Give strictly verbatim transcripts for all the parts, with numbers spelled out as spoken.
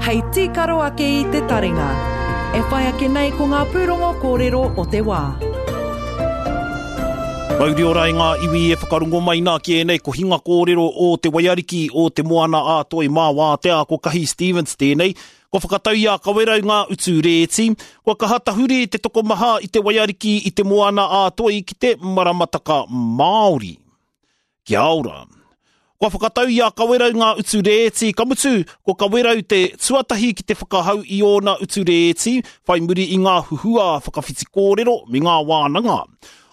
Hei tīkaro ake i te taringa. E whai ake nei ko ngā pūrongo kōrero o te wā. Mauri ora i ngā iwi e whakarongo mai nā ki ēnei kohinga kōrero o te waiariki o te moana a Toi mā wātea ko Kahi Stevens tēnei. Kua whakatau i a Kawerau ngā utu rēti, kua kaha tahuri te tokomaha i te waiariki i te moana a Toi ki te maramataka Māori. Kia ora. Kua whakatau i a Kawerau ngā utu rēti, ka mutu, ko Kawerau te tuatahi ki te whakahau i ōna utu rēti, whai muri i ngā huhua whakawhiti kōrero me ngā wānanga.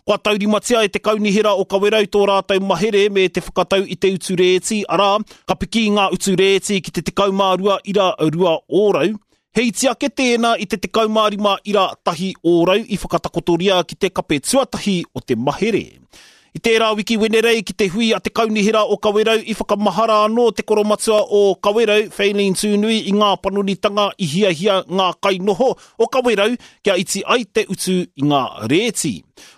Kua taurimatia e te kaunihera o Kawerau tō rātou mahere me te whakatau i te utu rēti, arā, ka piki ngā utu rēti ki te tekau mā rua ira rua ōrau. He iti ake tēnā i te tekau mā rima ira tahi ōrau i whakatakotoria ki te kape tuatahi o te mahere. I tērā wiki Wenerei ki te hui a te kaunihera o Kawerau i whakamahara anō te koromatua o Kawerau, Faylene Tūnui, i ngā panonitanga i hiahia ngā kainoho o Kawerau kia iti ai te utu i ngā rēti.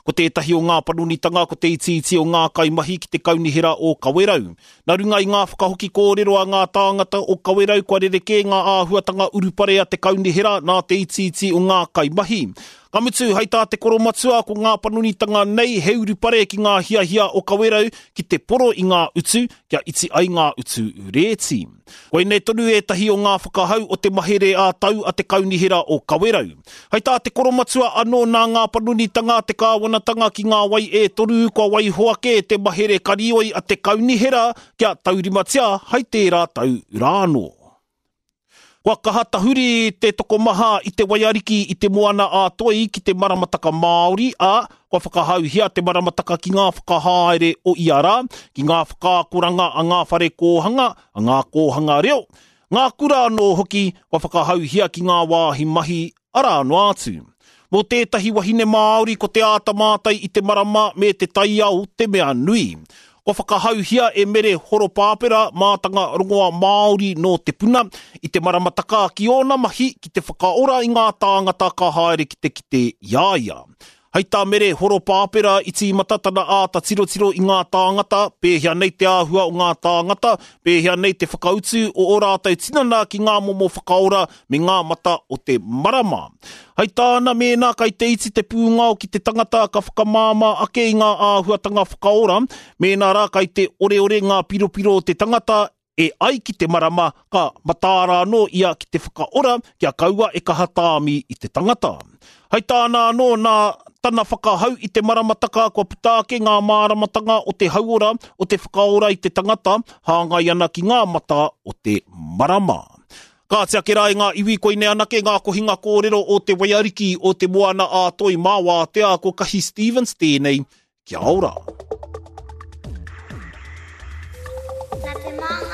Ko tētahi o ngā panonitanga ko te itiiti o ngā kaimahi ki te kaunihera o Kawerau. Nā runga i ngā whakahoki kōrero a ngā tāngata o Kawerau kua rerekē ngā āhuatanga urupare a te kaunihera nā te itiiti o ngā kaimahi. Ka mutu, hei tā te koromatua ko ngā panonitanga nei he urupare ki ngā hiahia o Kawerau ki te poro i ngā utu kia iti ai ngā utu rēti. Koinei tonu ētahi o ngā whakahau o te mahere ā-tau a te kaunihera o Kawerau. Hei tā te koromatua anō nā ngā panonitanga a te kāwanatanga ki ngā wai e toru kua waiho ake te mahere karioi a te kaunihera kia taurimatia hei tērā tau rānō. Kua kaha tahuri te tokomaha i te waiariki i te moana a Toi ki te maramataka Māori, ā, kua whakahauhia te maramataka ki ngā whakahaere o ia rā, ki ngā whakaakoranga a ngā whare kōhanga, a ngā kōhanga reo, ngā kura anō hoki kua whakahauhia ki ngā wāhi mahi arā noa atu. Mō tētahi wahine Māori ko te āta mātai i te marama me te taiao te mea nui. Kua whakahauhia e Mere Horopāpera mātanga rongoa Māori nō te puna i te maramataka ki ōna mahi ki te whakaora i ngā tāngata ka haere ki te kite i a ia. Hei tā Mere Horopāpera i tīmata tana āta tirotiro i ngā tāngata, pēhea nei te āhua o ngā tāngata, pēhea nei te whakautu o ō rātou tinana ki ngā momo whakaora me ngā mata o te marama. Hei tāna mēnā kai te iti te pūngao ki te tangata ka whakamāmā ake i ngā āhuatanga whakaora, mēnā rā kai te oreore ngā piropiro o te tangata e ai ki te marama ka mataara anō ia ki te whakaora kia kaua e kaha tāmi i te tangata. Hei tāna anō nā tana whakahau i te maramataka kua puta ake ngā māramatanga o te hauora o te whakaora i te tangata hāngai ana ki ngā mata o te marama. Kāti ake rā i ngā iwi koinei anake ngā kohinga kōrero o te waiariki o te moana a Toi mā wātea ko Kahi Stevens tēnei. Kia ora. Nā te māngai